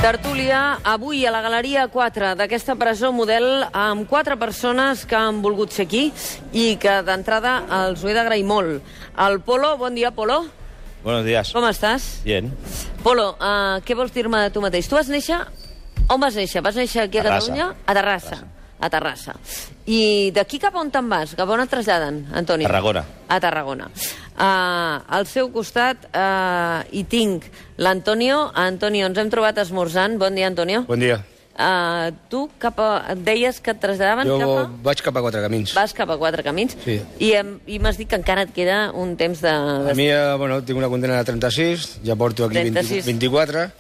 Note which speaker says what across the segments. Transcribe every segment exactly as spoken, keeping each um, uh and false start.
Speaker 1: Tertúlia, avui a la Galeria quatre d'aquesta presó model amb quatre persones que han volgut ser aquí i que d'entrada els ho he d'agrair molt. El Polo, bon dia, Polo.
Speaker 2: Buenos días.
Speaker 1: Com estàs?
Speaker 2: Bien.
Speaker 1: Polo, uh, què vols dir-me de tu mateix? Tu vas néixer... On vas néixer? Vas néixer aquí a
Speaker 2: Terrassa.
Speaker 1: Catalunya? A Terrassa. A Terrassa. I d'aquí cap a on te'n vas? Cap a on et traslladen, Antoni?
Speaker 2: Tarragona.
Speaker 1: A Tarragona. Uh, al seu costat uh, hi tinc l'Antonio. Antonio, ens hem trobat esmorzant. Bon dia, Antonio.
Speaker 3: Bon dia.
Speaker 1: Uh, tu cap a, deies que et traslladaven
Speaker 3: Jo
Speaker 1: cap a...
Speaker 3: vaig cap a Quatre Camins.
Speaker 1: Vas cap a Quatre Camins.
Speaker 3: Sí.
Speaker 1: I, em- i m'has dit que encara et queda un temps de...
Speaker 3: A mi, eh, bueno, tinc una condena de trenta-sis, ja porto aquí
Speaker 1: trenta-sis.
Speaker 3: vint, vint-i-quatre,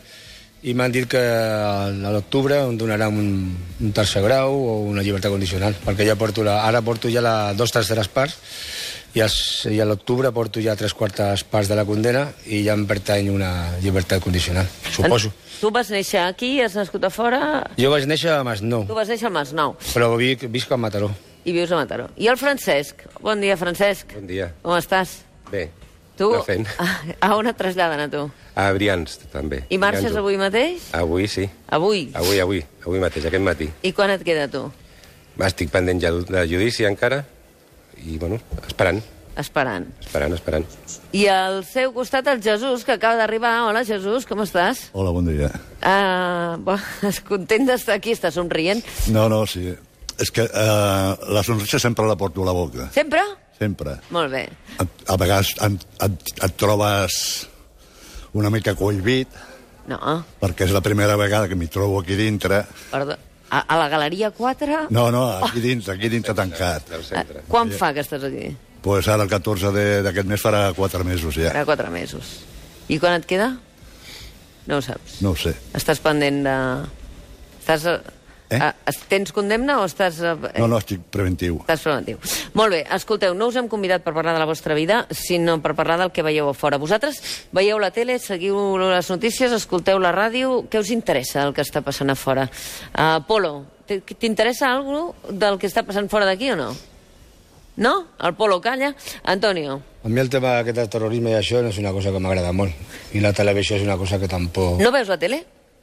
Speaker 3: i m'han dit que a l'octubre em donaran un, un tercer grau o una llibertat condicional, perquè ja porto la, ara porto ja la dos terceres parts, i, els, i a l'octubre porto ja tres quartes parts de la condena i ja em pertany una llibertat condicional, suposo.
Speaker 1: Tu vas néixer aquí, has nascut a fora...
Speaker 3: Jo vaig néixer a Masnou,
Speaker 1: Tu vas néixer al Masnou
Speaker 3: però vic, visc a Mataró.
Speaker 1: i vius a Mataró. I el Francesc? Bon dia, Francesc.
Speaker 4: Bon dia.
Speaker 1: Com estàs?
Speaker 4: Bé,
Speaker 1: Tu,
Speaker 4: anar fent.
Speaker 1: a, a on et traslladen, a tu?
Speaker 4: A Brians, també.
Speaker 1: I marxes
Speaker 4: Brians.
Speaker 1: avui mateix?
Speaker 4: Avui, sí.
Speaker 1: Avui?
Speaker 4: Avui, avui. Avui mateix, aquest matí.
Speaker 1: I quan et queda, tu?
Speaker 4: Estic pendent ja de judici encara i, bueno, esperant,
Speaker 1: Esperant.
Speaker 4: esperant, esperant.
Speaker 1: I al seu costat el Jesús, que acaba d'arribar. Hola, Jesús, com estàs?
Speaker 5: Hola, bon dia.
Speaker 1: Uh, bo, és content d'estar aquí, està somrient.
Speaker 5: No, no, sí. És que eh, la sonrisa sempre la porto a la boca.
Speaker 1: Sempre?
Speaker 5: Sempre.
Speaker 1: Molt bé.
Speaker 5: A, a vegades et, et, et trobes una mica cohibit,
Speaker 1: No,
Speaker 5: perquè és la primera vegada que m'hi trobo aquí dintre.
Speaker 1: perdó. A, a la Galeria quatre?
Speaker 5: No, no, aquí dintre, aquí dintre tancat.
Speaker 4: Del
Speaker 1: Uh,
Speaker 4: centre.
Speaker 1: quan fa que estàs aquí?
Speaker 5: Pues ara el catorze de- d'aquest mes farà quatre mesos ja.
Speaker 1: Farà quatre mesos. I quan et queda? No ho saps.
Speaker 5: No ho sé.
Speaker 1: Estàs pendent de... Estàs... Eh?
Speaker 5: Eh?
Speaker 1: Uh, tens condemna o estàs... Uh,
Speaker 5: No, no, estic preventiu.
Speaker 1: Estàs preventiu. Molt bé, escolteu, no us hem convidat per parlar de la vostra vida, sinó per parlar del que veieu a fora. Vosaltres veieu la tele, seguiu les notícies, escolteu la ràdio, què us interessa el que està passant a fora? Uh, Polo, t- t'interessa alguna cosa del que està passant fora d'aquí o no? No? El Polo calla. Antonio,
Speaker 3: A mi el tema aquest del terrorisme i això no és una cosa que m'agrada molt, i la televisió és una cosa que tampoc...
Speaker 1: no veus la tele?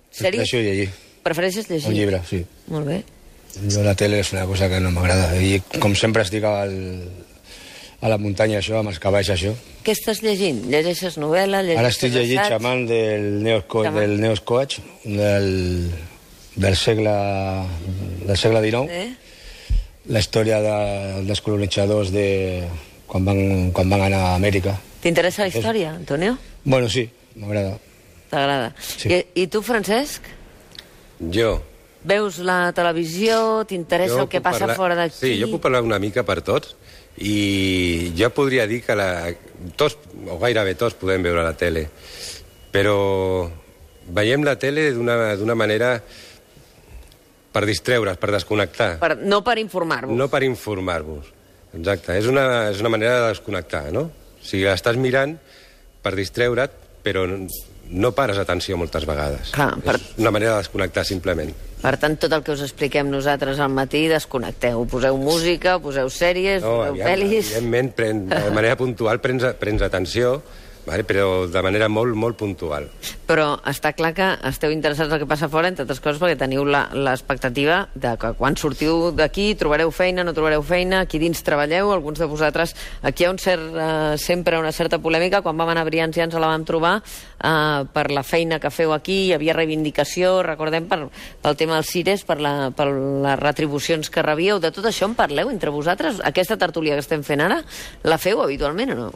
Speaker 1: Sèrie?
Speaker 3: Prefereixo llegir,
Speaker 1: Prefereixes llegir?
Speaker 3: un llibre, sí.
Speaker 1: Molt bé.
Speaker 3: Jo la tele és una cosa que no m'agrada. I com sempre estic al, a la muntanya, això, amb els cavalls, això.
Speaker 1: Què estàs llegint? Llegeixes novel·la? Llegeixes
Speaker 3: Ara estic llegint
Speaker 1: assaig?
Speaker 3: Xamán del Neosco,
Speaker 1: Xamán.
Speaker 3: del Neoscoach, del, del segle, del segle dinou.
Speaker 1: Eh?
Speaker 3: La història de, dels colonitzadors de, quan, van, quan van anar a Amèrica.
Speaker 1: T'interessa la història, Antonio?
Speaker 3: Bueno, sí, m'agrada.
Speaker 1: T'agrada?
Speaker 3: Sí.
Speaker 1: I, I tu, Francesc?
Speaker 4: Jo...
Speaker 1: Veus la televisió? T'interessa
Speaker 4: jo
Speaker 1: el que
Speaker 4: puc
Speaker 1: passa
Speaker 4: parlar-
Speaker 1: fora d'aquí?
Speaker 4: Sí, jo puc parlar una mica per tots, i jo podria dir que la, tots, o gairebé tots, podem veure la tele, però veiem la tele d'una d'una manera per distreure's, per desconnectar.
Speaker 1: Per, no per informar-vos.
Speaker 4: No per informar-vos. Exacte, és una, és una manera de desconnectar, no? O sigui, estàs mirant per distreure't, però no pares atenció moltes vegades.
Speaker 1: Clar, per-
Speaker 4: És una manera de desconnectar, simplement.
Speaker 1: Per tant, tot el que us expliquem nosaltres al matí, desconnecteu. Poseu música, poseu sèries, poseu
Speaker 4: aviam,
Speaker 1: pel·lis...
Speaker 4: evidentment, pren, de manera puntual prens, prens atenció, vale? Però de manera molt, molt puntual.
Speaker 1: Però està clar que esteu interessats en el que passa fora, entre altres coses, perquè teniu la- l'expectativa de que quan sortiu d'aquí trobareu feina, no trobareu feina, aquí dins treballeu, alguns de vosaltres... Aquí hi ha un cert, eh, sempre una certa polèmica. Quan vam anar a Brians ja ens la vam trobar eh, per la feina que feu aquí, hi havia reivindicació, recordem, per, pel tema dels cires, per, la, per les retribucions que rebíeu. De tot això en parleu entre vosaltres? Aquesta tertúlia que estem fent ara, la feu habitualment o no?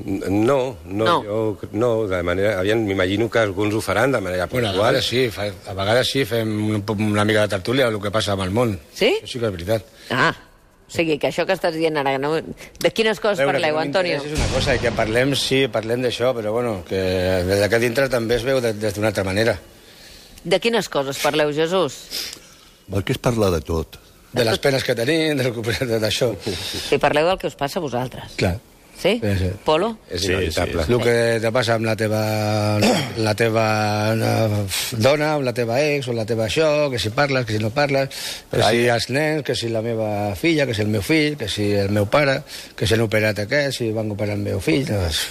Speaker 4: No, no,
Speaker 1: No.
Speaker 4: jo no, de manera... Aviam, m'imagino que alguns ho faran de manera
Speaker 3: Bueno, a
Speaker 4: puntual.
Speaker 3: vegades sí, fa, a vegades sí, fem un, una mica de tertúlia del que passa amb el món.
Speaker 1: Sí?
Speaker 3: Això sí que és veritat.
Speaker 1: Ah, o sigui, que això que estàs dient ara... No... De quines coses
Speaker 3: Veure,
Speaker 1: parleu,
Speaker 3: que no
Speaker 1: Antonio?
Speaker 3: m'interessa És una cosa, i que parlem, sí, parlem d'això, però bueno, que des d'aquí dintre també es veu de- des d'una altra manera.
Speaker 1: De quines coses parleu, Jesús?
Speaker 5: El que és parlar de tot.
Speaker 3: De les penes que tenim, de recuperar d'això.
Speaker 1: Si parleu del que us passa a vosaltres.
Speaker 3: Clar.
Speaker 1: Sí?
Speaker 3: Sí, sí.
Speaker 1: Polo?
Speaker 4: És
Speaker 2: Sí,
Speaker 4: inevitable.
Speaker 3: El que te passa amb la teva, la teva eh, dona, amb la teva ex, o la teva això, que si parles, que si no parles, que si els nens, que si la meva filla, que si el meu fill, que si el meu pare, que si han operat aquest, si van operar el meu fill... Doncs...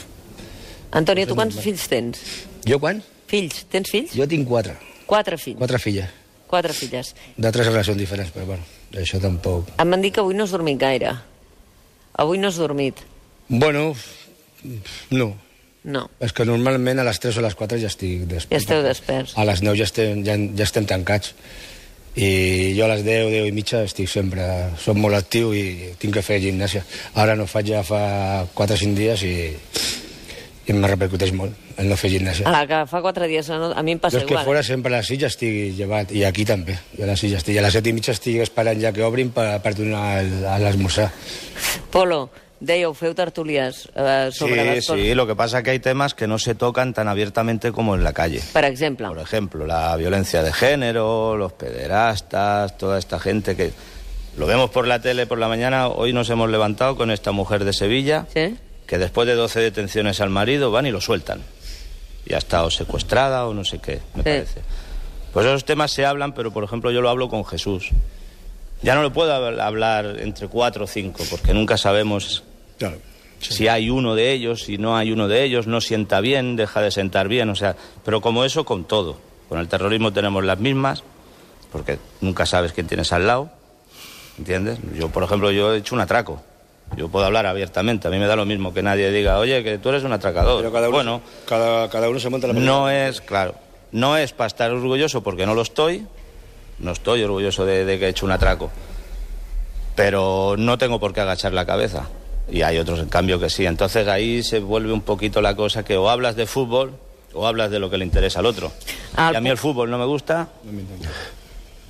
Speaker 1: Antonio, tu quants fills tens?
Speaker 3: Jo quan?
Speaker 1: Fills? Tens fills?
Speaker 3: Jo tinc quatre.
Speaker 1: Quatre fills.
Speaker 3: Quatre filles.
Speaker 1: Quatre filles.
Speaker 3: De tres relacions diferents, però bueno, això tampoc...
Speaker 1: Em van dir que avui no has dormit gaire. Avui no has dormit.
Speaker 3: Bueno, no.
Speaker 1: No.
Speaker 3: És que normalment a les tres o a les quatre ja estic despert.
Speaker 1: Ja esteu desperts.
Speaker 3: A les nou ja estem, ja, ja estem tancats. I jo a les deu, deu i mitja estic sempre... Soc molt actiu i tinc que fer gimnàsia. Ara no faig ja fa quatre o cinc dies i, i em repercuteix molt el no fer gimnàsia.
Speaker 1: Ara, que fa quatre dies, no? A mi em passa
Speaker 3: jo és que
Speaker 1: igual.
Speaker 3: fora sempre a les sis ja estic llevat, i aquí també. Jo a les sis ja estic. I a les set i mitja estic esperant ja que obrin per, per donar l'esmorzar.
Speaker 1: Polo, dèieu, feu tertulias eh, sobre
Speaker 2: Sí,
Speaker 1: les coses.
Speaker 2: sí, lo que pasa es que hay temas que no se tocan tan abiertamente como en la calle.
Speaker 1: Per exemple.
Speaker 2: Por ejemplo, la violencia de género, los pederastas, toda esta gente que... Lo vemos por la tele por la mañana, hoy nos hemos levantado con esta mujer de Sevilla,
Speaker 1: ¿Sí?
Speaker 2: que después de doce detenciones al marido van y lo sueltan. Y ha estado secuestrada o no sé qué, me
Speaker 1: Sí.
Speaker 2: parece. Pues esos temas se hablan, pero por ejemplo yo lo hablo con Jesús. Ya no lo puedo hablar entre cuatro o cinco, porque nunca sabemos...
Speaker 3: Claro.
Speaker 2: Si hay uno de ellos, si no hay uno de ellos, no sienta bien, deja de sentar bien, o sea, pero como eso con todo. Con el terrorismo tenemos las mismas, porque nunca sabes quién tienes al lado, ¿entiendes? Yo, por ejemplo, yo he hecho un atraco. Yo puedo hablar abiertamente, a mí me da lo mismo que nadie diga, oye, que tú eres un atracador.
Speaker 3: Pero cada uno,
Speaker 2: bueno,
Speaker 3: cada, cada uno se monta la película.
Speaker 2: no es, claro, no es para estar orgulloso porque no lo estoy, no estoy orgulloso de, de que he hecho un atraco, pero no tengo por qué agachar la cabeza. Y hay otros, en cambio, que sí. Entonces ahí se vuelve un poquito la cosa que o hablas de fútbol o hablas de lo que le interesa al otro.
Speaker 1: Al
Speaker 2: Y a mí el fútbol no me gusta.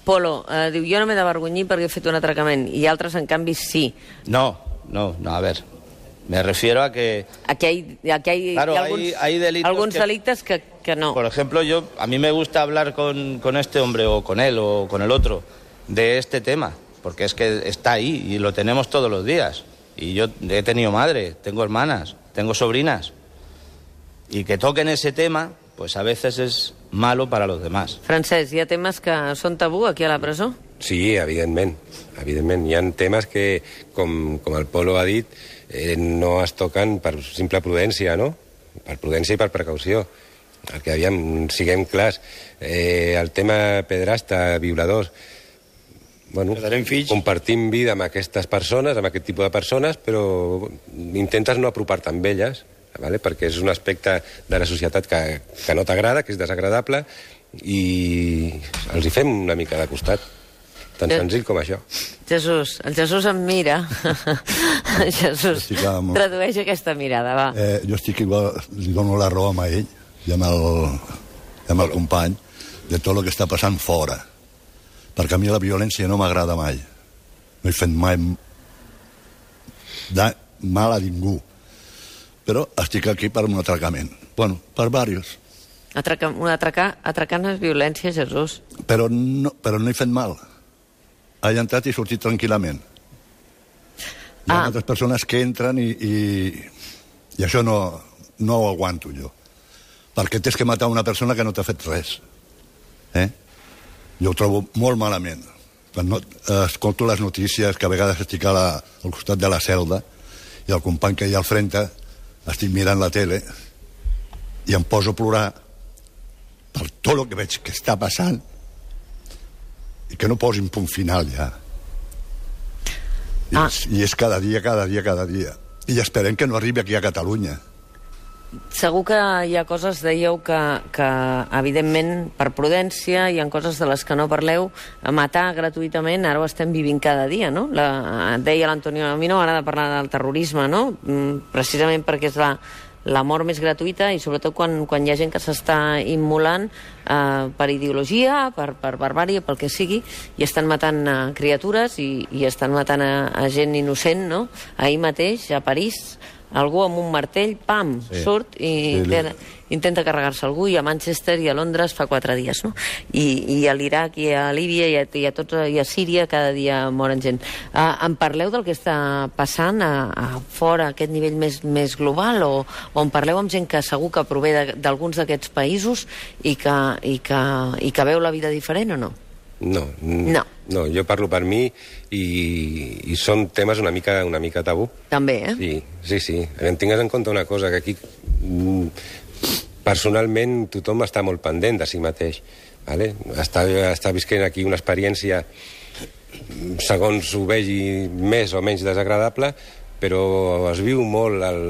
Speaker 1: Polo, eh, diu, jo no m'he d'avergonyir perquè he fet un atracament, i altres, en canvi, sí.
Speaker 2: No, no, no, a ver. Me refiero a que,
Speaker 1: Aquí hay, aquí hay,
Speaker 2: Claro,
Speaker 1: hi ha
Speaker 2: hay-
Speaker 1: alguns,
Speaker 2: hay delitos
Speaker 1: alguns
Speaker 2: que-
Speaker 1: delictes que, que no.
Speaker 2: por ejemplo, yo a mí me gusta hablar con, con este hombre o con él o con el otro de este tema, porque es que está ahí y lo tenemos todos los días. Y yo he tenido madre, tengo hermanas, tengo sobrinas. Y que toquen ese tema, pues a veces es malo para los demás.
Speaker 1: Francesc, hi ha temes que són tabú aquí a la presó?
Speaker 4: Sí, evidentment. Evidentment. Hi ha temes que, com, com el Polo ha dit, eh, no es toquen per simple prudència, no? Per prudència i per precaució. El que aviam, siguem clars, eh, el tema pedrasta, violadors, bueno,
Speaker 3: Quedarem fills.
Speaker 4: compartim vida amb aquestes persones, amb aquest tipus de persones, però intentes no apropar-te amb elles, vale? Perquè és un aspecte de la societat que, que no t'agrada, que és desagradable, i els hi fem una mica de costat. Tan
Speaker 1: Eh.
Speaker 4: senzill com això.
Speaker 1: Jesús, el Jesús em mira. Jesús,
Speaker 5: Sí, clar, amor.
Speaker 1: tradueix aquesta mirada, va.
Speaker 5: Eh, jo estic igual, li dono la raó a ell i amb el, i amb el company de tot el que està passant fora. Perquè a mi la violència no m'agrada mai. No he fet mai de mal a ningú. Però estic aquí per un atracament. Bueno, per diversos.
Speaker 1: Atracar, un atracar, atracar no és violència, Jesús.
Speaker 5: Però no, però no he fet mal. He entrat i he sortit tranquil·lament. Hi ha
Speaker 1: Ah.
Speaker 5: altres persones que entren i, i, i això no, no ho aguanto jo. Perquè tens que matar una persona que no t'ha fet res. Eh? Jo ho trobo molt malament. Quan no, eh, escolto les notícies, que a vegades estic a la, al costat de la celda i el company que hi ha al frente estic mirant la tele i em poso a plorar per tot el que veig que està passant i que no posin punt final ja. I,
Speaker 1: Ah.
Speaker 5: és, I és cada dia, cada dia, cada dia. I esperem que no arribi aquí a Catalunya.
Speaker 1: Segur que hi ha coses, dèieu, que, que evidentment, per prudència, hi ha coses de les que no parleu. Matar gratuïtament, ara ho estem vivint cada dia, no? La, deia l'Antonio, a mi no m'agrada parlar del terrorisme, no? Mm, precisament perquè és la, la mort més gratuïta i sobretot quan, quan hi ha gent que s'està immolant eh, per ideologia, per, per barbària, pel que sigui, i estan matant eh, criatures i, i estan matant a, a gent innocent, no? Ahir mateix, a París, algú amb un martell, pam, sí. surt i
Speaker 5: Sí,
Speaker 1: intenta, intenta carregar-se algú, i a Manchester i a Londres fa quatre dies, no? I, i a l'Iraq i a Líbia i a, i, a tot, i a Síria cada dia moren gent. Uh, em parleu del que està passant a, a fora, a aquest nivell més, més global, o, o en parleu amb gent que segur que prové d'alguns d'aquests països i que, i, que, i que veu la vida diferent o no?
Speaker 4: No,
Speaker 1: No.
Speaker 4: no, jo parlo per mi i, i són temes una mica, una mica tabú.
Speaker 1: També, eh?
Speaker 4: Sí, sí, sí. Em tingues en compte una cosa, que aquí mm, personalment tothom està molt pendent de si mateix. Vale? Està, està visquent aquí una experiència, segons ho vegi, més o menys desagradable, però es viu molt el,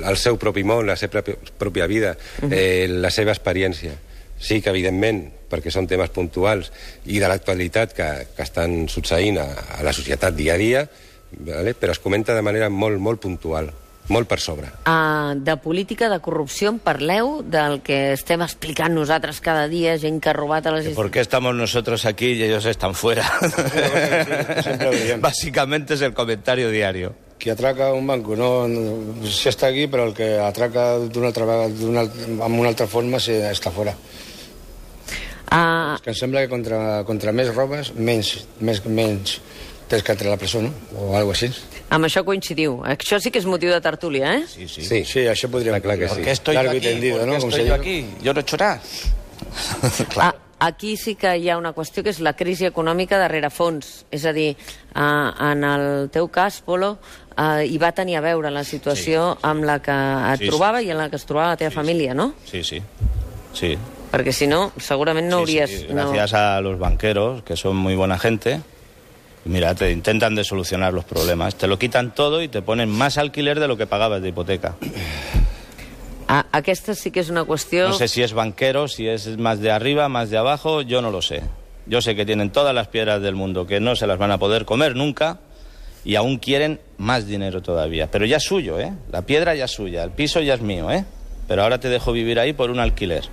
Speaker 4: el seu propi món, la seva pròpia vida, eh, la seva experiència. Sí que, evidentment, perquè són temes puntuals i de l'actualitat que, que estan succeint a, a la societat dia a dia, vale? Però es comenta de manera molt, molt puntual, molt per sobre.
Speaker 1: Uh, de política, de corrupció, en parleu del que estem explicant nosaltres cada dia, gent que ha robat a les...
Speaker 2: ¿Por qué estamos nosotros aquí y ellos están fuera? Básicamente es el comentario diario.
Speaker 3: Qui atraca un banco no, no sí està aquí, però el que atraca d'una altra vegada, amb una altra forma, sí, està fora.
Speaker 1: Uh...
Speaker 3: És que em sembla que contra, contra més robes, menys, més, menys tens que entrar a la presó, no? O alguna cosa així.
Speaker 1: Amb això coincidiu. Això sí que és motiu de tertúlia, eh?
Speaker 2: Sí, sí.
Speaker 4: Sí,
Speaker 3: Sí, això podríem...
Speaker 4: clar que sí.
Speaker 2: ¿Por qué estoy yo
Speaker 3: Largo y
Speaker 2: aquí?
Speaker 3: tendido,
Speaker 2: ¿Por qué
Speaker 3: ¿no? Como
Speaker 2: estoy
Speaker 3: se
Speaker 2: yo
Speaker 3: dice.
Speaker 2: aquí? Yo no he hecho nada.
Speaker 1: Ah, aquí sí que hi ha una qüestió que és la crisi econòmica darrere fons. És a dir, eh, en el teu cas, Polo, eh, hi va tenir a veure la situació
Speaker 2: Sí, sí.
Speaker 1: amb la que et
Speaker 2: Sí, sí.
Speaker 1: trobava i en la que es trobava la teva
Speaker 2: Sí,
Speaker 1: família, no?
Speaker 2: Sí, sí. Sí.
Speaker 1: Perquè si no, segurament no
Speaker 2: Sí,
Speaker 1: hauries...
Speaker 2: sí,
Speaker 1: no...
Speaker 2: gracias a los banqueros, que son muy buena gente. Mira, te intentan de solucionar los problemas. Te lo quitan todo y te ponen más alquiler de lo que pagabas de hipoteca.
Speaker 1: Ah, aquesta sí que és una qüestió...
Speaker 2: No sé si es banquero, si es más de arriba, más de abajo, yo no lo sé. Yo sé que tienen todas las piedras del mundo, que no se las van a poder comer nunca, y aún quieren más dinero todavía. Pero ya es suyo, ¿eh? La piedra ya es suya, el piso ya es mío, ¿eh? Pero ahora te dejo vivir ahí por un alquiler.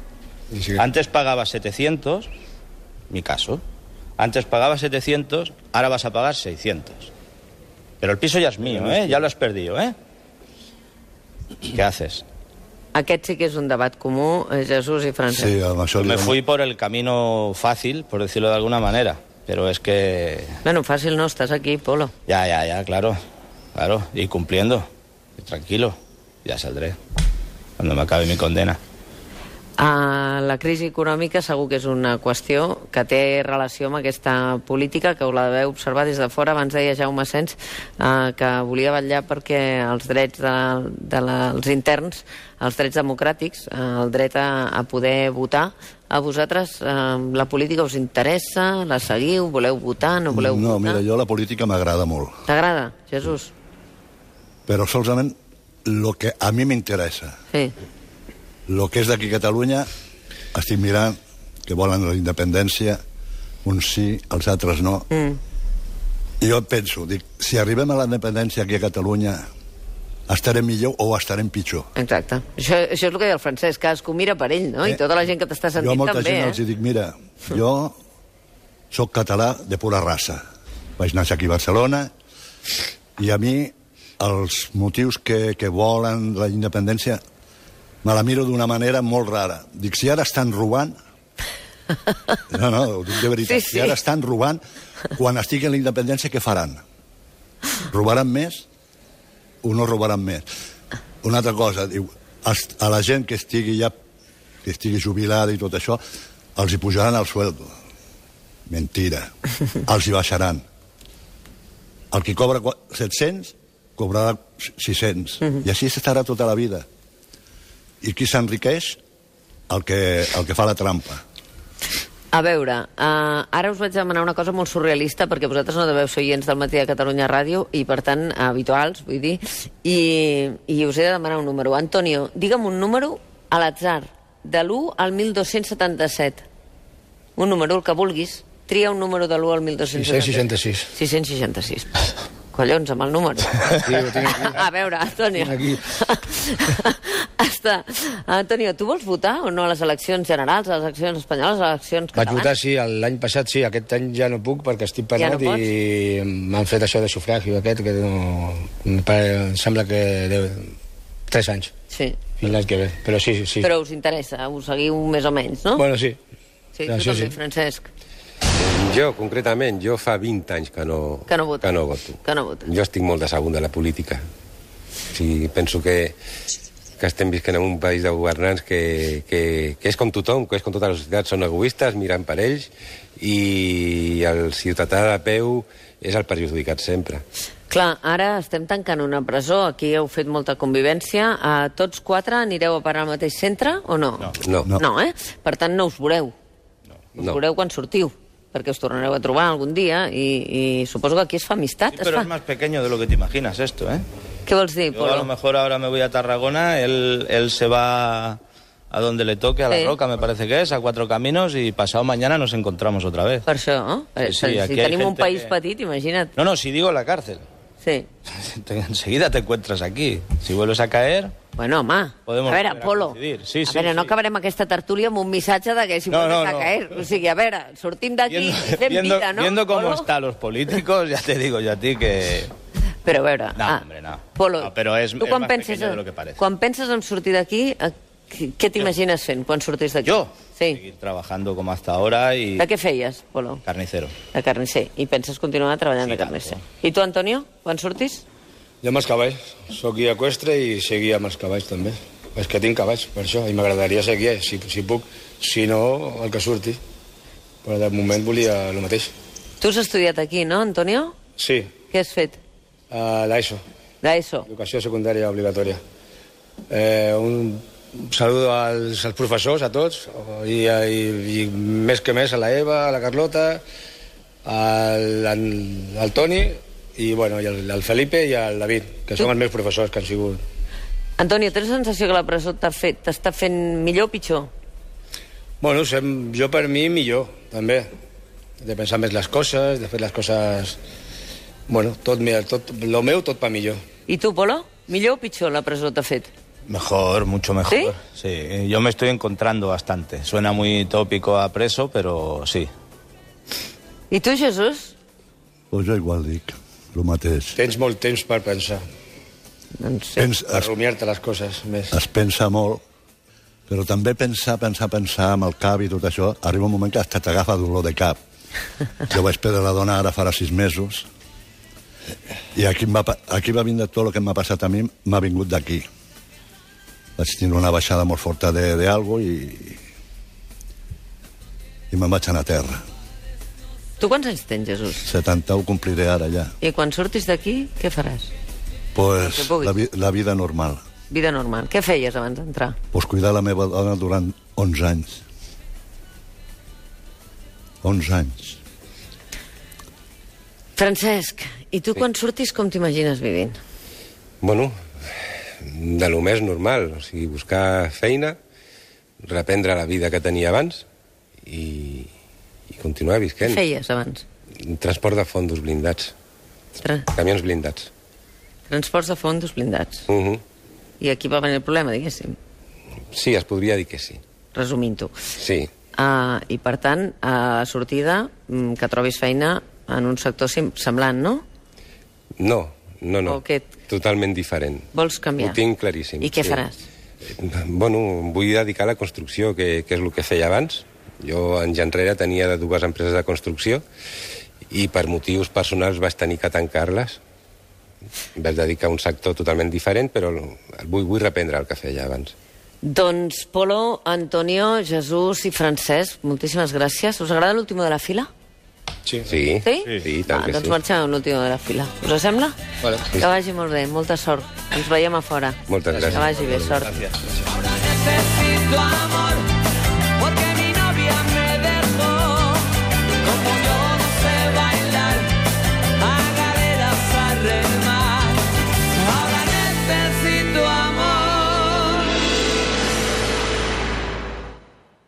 Speaker 3: Sí.
Speaker 2: Antes pagabas setecientos, mi caso. Antes pagabas setecientos, ahora vas a pagar seiscientos. Pero el piso ya es mío, ¿eh? Ya lo has perdido, ¿eh? ¿Qué haces?
Speaker 1: Aquest sí que és un debat comú, eh, Jesús i Francesc.
Speaker 5: Sí, amb això li
Speaker 2: Me
Speaker 5: dono-
Speaker 2: fui por el camino fácil, por decirlo de alguna manera. Pero es que...
Speaker 1: Bueno, fàcil no, estàs aquí, Polo.
Speaker 2: Ya, ya, ya, claro. Claro, y cumpliendo. Y tranquilo. Ya saldré. Cuando me acabe mi condena.
Speaker 1: Uh, la crisi econòmica segur que és una qüestió que té relació amb aquesta política, que ho la deveu observar des de fora. Abans deia Jaume Sens uh, que volia vetllar perquè els drets de, de la, els interns, els drets democràtics, uh, el dret a, a poder votar. A vosaltres uh, la política us interessa? La seguiu? Voleu votar? No voleu
Speaker 5: No,
Speaker 1: votar?
Speaker 5: mira, jo la política m'agrada molt,
Speaker 1: T'agrada, Jesús?
Speaker 5: però solament el que a mi m'interessa.
Speaker 1: Sí.
Speaker 5: El que és d'aquí a Catalunya, estic mirant que volen la independència, uns sí, els altres no.
Speaker 1: Mm.
Speaker 5: I jo penso, dic, si arribem a la independència aquí a Catalunya, estarem millor o estarem pitjor.
Speaker 1: Exacte. Això, això és el que deia el Francesc, cadascú mira per ell, no? I tota la gent que t'està
Speaker 5: Jo a
Speaker 1: sentint
Speaker 5: molta
Speaker 1: també,
Speaker 5: gent
Speaker 1: eh?
Speaker 5: els dic, mira, jo sóc català de pura raça. Vaig néixer aquí a Barcelona i a mi els motius que, que volen la independència me la miro d'una manera molt rara. Dic, si ara estan robant... No, no, ho dic de veritat.
Speaker 1: Sí, sí.
Speaker 5: Si ara estan robant, quan estigui en la independència, què faran? Robaran més o no robaran més? Una altra cosa, diu, a la gent que estigui ja que estigui jubilada i tot això, els hi pujaran el sueldo. Mentira. Els hi baixaran. El que cobra set-cents, cobrarà sis-cents.
Speaker 1: Mhm.
Speaker 5: I així estarà tota la vida. I qui s'enriqueix? El que, el que fa la trampa.
Speaker 1: A veure, uh, ara us vaig demanar una cosa molt surrealista, perquè vosaltres no deveu ser oients del Matí de Catalunya Ràdio, i per tant, habituals, vull dir, i, i us he de demanar un número. Antonio, digue'm un número a l'atzar, de l'u al mil dos-cents setanta-set. Un número, el que vulguis. Tria un número de l'u al mil dos-cents setanta-set.
Speaker 3: sis-cents seixanta-sis.
Speaker 1: sis-cents seixanta-sis. Collons, amb el número.
Speaker 3: Sí, ho tinc aquí.
Speaker 1: A veure, Antonio.
Speaker 3: Tinc
Speaker 1: Està. Antonio, tu vols votar o no a les eleccions generals, a les eleccions espanyoles, a les eleccions
Speaker 3: Vaig
Speaker 1: catalanes?
Speaker 3: votar, sí, l'any passat sí, aquest any ja no puc perquè estic penat
Speaker 1: Ja no pots?
Speaker 3: i m'han fet això de sufragi aquest, que no... Em pare- em sembla que deu... Tres anys,
Speaker 1: Sí.
Speaker 3: fins l'any que ve, però sí, sí.
Speaker 1: Però us interessa, us seguiu més o menys, no?
Speaker 3: Bueno, sí.
Speaker 1: Sí, tu
Speaker 3: això
Speaker 1: també,
Speaker 3: sí.
Speaker 1: Francesc.
Speaker 4: Jo, concretament, jo fa vint anys que no,
Speaker 1: Que no votes.
Speaker 4: que no voto.
Speaker 1: Que no votes.
Speaker 4: Jo estic molt decebut de la política. Sí, penso que, que estem visquent en un país de governants que, que, que és com tothom, que és com tota la societat, són egoistes, miren per ells, i el ciutadà de peu és el perjudicat sempre.
Speaker 1: Clar, ara estem tancant una presó, aquí heu fet molta convivència. Uh, tots quatre anireu a parar al mateix centre o no?
Speaker 2: No.
Speaker 4: No.
Speaker 5: No.
Speaker 1: No, eh? Per tant, no us veureu. Us
Speaker 4: No.
Speaker 1: veureu quan sortiu, perquè us tornareu a trobar algun dia i, i suposo que aquí es fa amistat.
Speaker 2: Sí,
Speaker 1: es
Speaker 2: pero
Speaker 1: fa...
Speaker 2: es más pequeño de lo que te imaginas esto, ¿eh?
Speaker 1: Què vols dir,
Speaker 2: Yo a lo
Speaker 1: Polo?
Speaker 2: mejor ahora me voy a Tarragona, él, él se va a donde le toque, a La
Speaker 1: Sí.
Speaker 2: Roca, me parece que es, a Cuatro Caminos, y pasado mañana nos encontramos otra vez.
Speaker 1: Per això, no?
Speaker 2: Sí, sí,
Speaker 1: si
Speaker 2: aquí
Speaker 1: si
Speaker 2: hay
Speaker 1: tenim un
Speaker 2: gente
Speaker 1: país
Speaker 2: que-
Speaker 1: petit, imagina't.
Speaker 2: No, no, si digo la cárcel.
Speaker 1: Sí.
Speaker 2: Te- Enseguida te encuentras aquí. Si vuelves a caer...
Speaker 1: Bueno, home,
Speaker 2: Podemos
Speaker 1: a veure,
Speaker 2: volver a
Speaker 1: Polo,
Speaker 2: coincidir. Sí,
Speaker 1: a
Speaker 2: sí,
Speaker 1: veure, no
Speaker 2: sí.
Speaker 1: acabarem aquesta tertúlia amb un missatge de que si
Speaker 2: No,
Speaker 1: vuelves
Speaker 2: no,
Speaker 1: a
Speaker 2: no.
Speaker 1: caer. O sigui, a veure, sortim d'aquí
Speaker 2: Viendo,
Speaker 1: i fem
Speaker 2: viendo,
Speaker 1: vida, no?
Speaker 2: viendo cómo
Speaker 1: Polo?
Speaker 2: están los políticos, ya te digo yo a ti que...
Speaker 1: Però a veure...
Speaker 2: No,
Speaker 1: ah,
Speaker 2: hombre, no.
Speaker 1: Polo,
Speaker 2: No, però és-
Speaker 1: tu
Speaker 2: és
Speaker 1: quan
Speaker 2: más
Speaker 1: penses,
Speaker 2: pequeño de lo que parece.
Speaker 1: quan penses en sortir d'aquí, eh, què què t'imagines fent quan sortis d'aquí?
Speaker 2: Yo,
Speaker 1: Sí.
Speaker 2: seguir trabajando como hasta ahora y...
Speaker 1: De què feies, Polo?
Speaker 2: Carnicero.
Speaker 1: De carnisser. I penses continuar treballant
Speaker 2: Sí,
Speaker 1: de
Speaker 2: tant,
Speaker 1: carnisser.
Speaker 2: sí.
Speaker 1: I tu, Antonio, quan surtis?
Speaker 3: Jo amb els cavalls. Soc guia eqüestre i seguir amb els cavalls també. És que tinc cavalls, per això, i m'agradaria ser guia, si, si puc. Si no, el que surti. Però de moment volia el mateix.
Speaker 1: Tu has estudiat aquí, no, Antonio?
Speaker 3: Sí,
Speaker 1: Què has fet?
Speaker 3: a l'ESO,
Speaker 1: D'ESO.
Speaker 3: educació secundària obligatòria. Eh, un saludo als, als professors, a tots, i, i, i més que més a la Eva, a la Carlota, al, al, al Toni, i, bueno, i al, al Felipe i al David, que són els meus professors que han sigut.
Speaker 1: Antonio, tens la sensació que la presó t'ha fet, t'està fent millor o pitjor?
Speaker 3: Bueno, sem, jo per mi millor, també. De pensar més les coses, de fer les coses... Bueno, tot, mira, tot, lo meu tot pa millor.
Speaker 1: I tu, Polo? Millor o pitjor la presó t'ha fet?
Speaker 2: Mejor, mucho mejor.
Speaker 1: ¿Sí?
Speaker 2: Sí, yo me estoy encontrando bastante. Suena muy tópico a preso, pero sí.
Speaker 1: I tu, Jesús?
Speaker 5: Pues jo igual dic, el mateix.
Speaker 3: Tens molt temps per pensar,
Speaker 1: Doncs sí.
Speaker 5: Pens,
Speaker 3: per
Speaker 5: es,
Speaker 3: rumiar-te les coses més.
Speaker 5: es pensa molt, però també pensar, pensar, pensar amb el cap i tot això, arriba un moment que hasta t'agafa dolor de cap. Jo vaig perdre la dona ara farà sis mesos, i aquí, em va, pa- aquí va vindre tot el que m'ha passat a mi, m'ha vingut d'aquí. Vaig tenir una baixada molt forta de, de algo i, i me'n vaig anar a terra.
Speaker 1: Tu quants anys tens, Jesús?
Speaker 5: setanta-u compliré ara ja.
Speaker 1: I quan surtis d'aquí, què faràs?
Speaker 5: Pues
Speaker 1: El que puguis.
Speaker 5: la, vi- la vida normal.
Speaker 1: Vida normal. Què feies abans d'entrar?
Speaker 5: Pues cuidar la meva dona durant onze anys. onze anys.
Speaker 1: Francesc, i tu quan surtis com t'imagines vivint?
Speaker 4: Bueno, de lo més normal, o sigui, buscar feina, reprendre la vida que tenia abans i, i continuar
Speaker 1: Què
Speaker 4: visquent.
Speaker 1: feies abans?
Speaker 4: Transport de fondos blindats,
Speaker 1: Tra
Speaker 4: camions blindats.
Speaker 1: transports de fondos blindats.
Speaker 4: Uh -huh.
Speaker 1: I aquí va venir el problema, diguéssim,
Speaker 4: Sí, es podria dir que sí.
Speaker 1: resumint-ho.
Speaker 4: Sí,
Speaker 1: Uh, I, per tant, a la sortida, mm, que trobis feina en un sector sim- semblant, no?
Speaker 4: no, no, no,
Speaker 1: O què?
Speaker 4: totalment diferent.
Speaker 1: Vols canviar?
Speaker 4: Ho tinc claríssim.
Speaker 1: I què
Speaker 4: sí.
Speaker 1: faràs?
Speaker 4: Bueno, em vull dedicar a la construcció, que, que és el que feia abans. Jo, anys enrere, tenia dues empreses de construcció i per motius personals vaig tenir que tancar-les. Em vaig dedicar a un sector totalment diferent, però vull, vull reprendre el que feia abans.
Speaker 1: Doncs Polo, Antonio, Jesús i Francesc, moltíssimes gràcies. Us agrada l'último de la fila?
Speaker 3: Sí.
Speaker 4: Sí?
Speaker 1: Sí?
Speaker 4: Sí, sí, tant
Speaker 1: ah,
Speaker 4: que
Speaker 1: doncs
Speaker 4: sí.
Speaker 1: marxem amb l'último de la fila. Us sembla?
Speaker 3: Vale.
Speaker 1: Que vagi molt bé, molta sort. Ens veiem a fora.
Speaker 4: Moltes gràcies.
Speaker 1: Que vagi bé, sort.
Speaker 2: Gracias.
Speaker 6: Ahora necesito amor.